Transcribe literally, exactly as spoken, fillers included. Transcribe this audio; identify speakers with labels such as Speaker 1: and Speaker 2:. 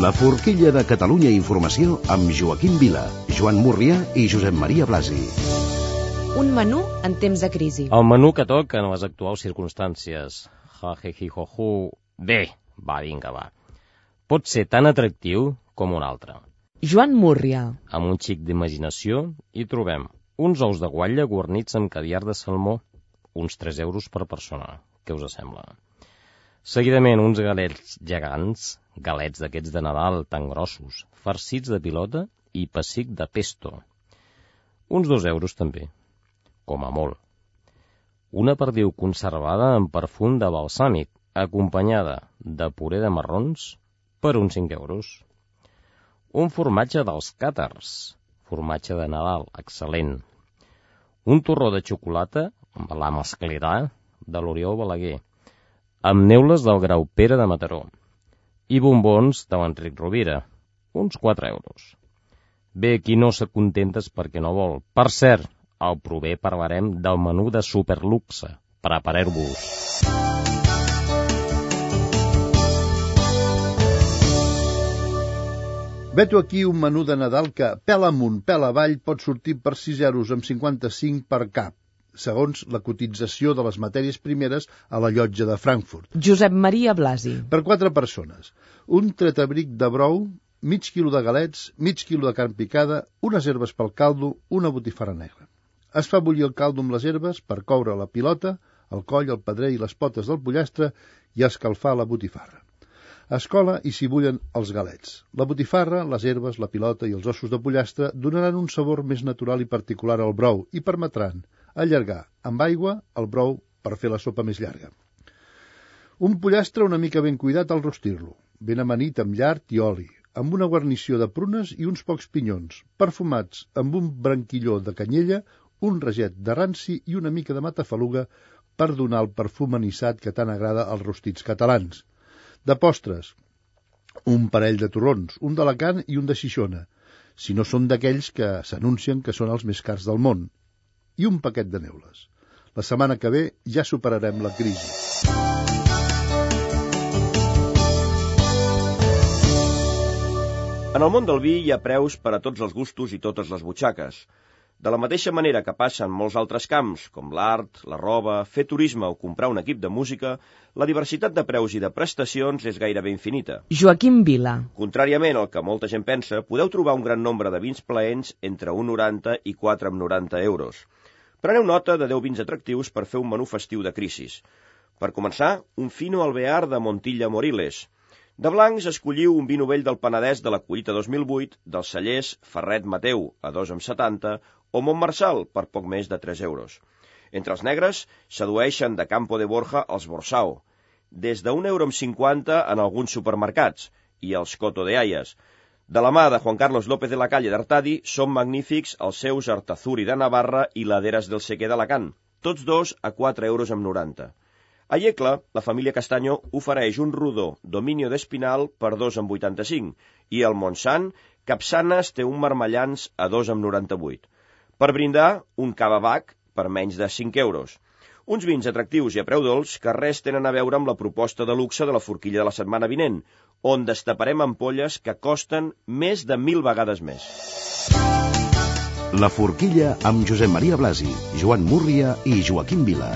Speaker 1: La forquilla de Catalunya Informació amb Joaquim Vila, Joan Murrià i Josep Maria Blasi.
Speaker 2: Un menú en temps de crisi.
Speaker 3: El menú que toca en les actuals circumstàncies. Ja, je, ji, jo, ju. Bé, va, vinga, va. Pot ser tan atractiu com un altre.
Speaker 2: Joan Murrià.
Speaker 3: Amb un xic d'imaginació hi trobem uns ous de guatlla guarnits amb caviar de salmó, uns tres euros per persona. Què us sembla? Seguidament uns galets gegants, galets d'aquests de Nadal tan grossos, farcits de pilota i pessic de pesto. Uns dos euros també, com a molt. Una perdiu conservada amb perfum de balsàmic, acompanyada de puré de marrons, per uns cinc euros. Un formatge dels càtars, formatge de Nadal, excel·lent. Un torró de xocolata amb la masclerà de l'Oriol Balaguer, amb neules del Grau Pere de Mataró, i bombons de l'Enric Rovira, uns quatre euros. Bé, qui no s'acontentes perquè no vol. Per cert, al proper parlarem del menú de superluxe. Prepareu-vos.
Speaker 4: Veto aquí un menú de Nadal que, pèl amunt, pèl avall, pot sortir per sis euros amb cinquanta-cinc per cap, segons la cotització de les matèries primeres a la llotja de Frankfurt.
Speaker 2: Josep Maria Blasi.
Speaker 4: Per quatre persones. Un tretabric de brou, mig quilo de galets, mig quilo de carn picada, unes herbes pel caldo, una botifarra negra. Es fa bullir el caldo amb les herbes per coure la pilota, el coll, el pedrer i les potes del pollastre i escalfar la botifarra. Es cola i s'hi bullen els galets. La botifarra, les herbes, la pilota i els ossos de pollastre donaran un sabor més natural i particular al brou i permetran allargar amb aigua el brou per fer la sopa més llarga. Un pollastre una mica ben cuidat al rostir-lo, ben amanit amb llard i oli, amb una guarnició de prunes i uns pocs pinyons, perfumats amb un branquilló de canyella, un raget de ranci i una mica de matafaluga per donar el perfum anissat que tant agrada als rostits catalans. De postres, un parell de torrons, un d'Alacant i un de Xixona, si no són d'aquells que s'anuncien que són els més cars del món, i un paquet de neules. La setmana que ve ja superarem la crisi.
Speaker 5: En el món del vi hi ha preus per a tots els gustos i totes les butxaques. De la mateixa manera que passa en molts altres camps, com l'art, la roba, fer turisme o comprar un equip de música, la diversitat de preus i de prestacions és gairebé infinita.
Speaker 2: Joaquim Vila.
Speaker 5: Contràriament al que molta gent pensa, podeu trobar un gran nombre de vins plaents entre un coma noranta i quatre coma noranta euros. Preneu nota de deu vins atractius per fer un menú festiu de crisis. Per començar, un Fino Alvear de Montilla Moriles. De blancs, escolliu un vi novell del Penedès de la collita dos mil vuit, dels cellers Ferret Mateu, a dos coma setanta, o Montmarçal, per poc més de tres euros. Entre els negres, sedueixen de Campo de Borja els Borsao, des d'un euro amb cinquanta en alguns supermercats, i els Coto de Hayas. De la mà de Juan Carlos López de la Calle d'Artadi, són magnífics els seus Artazuri de Navarra i Laderas del Sequer d'Alacant, tots dos a quatre euros amb noranta. A Iecla, la família Castanyo ofereix un rodó Dominio d'Espinal per dos coma vuitanta-cinc i el Montsant, Capçanes té un Marmellans a dos coma noranta-vuit. Per brindar, un Cava Bac per menys de cinc euros. Uns vins atractius i a preu dolç que res tenen a veure amb la proposta de luxe de la forquilla de la setmana vinent, on destaparem ampolles que costen més de mil vegades més.
Speaker 1: La forquilla amb Josep Maria Blasi, Joan Murrià i Joaquim Vila.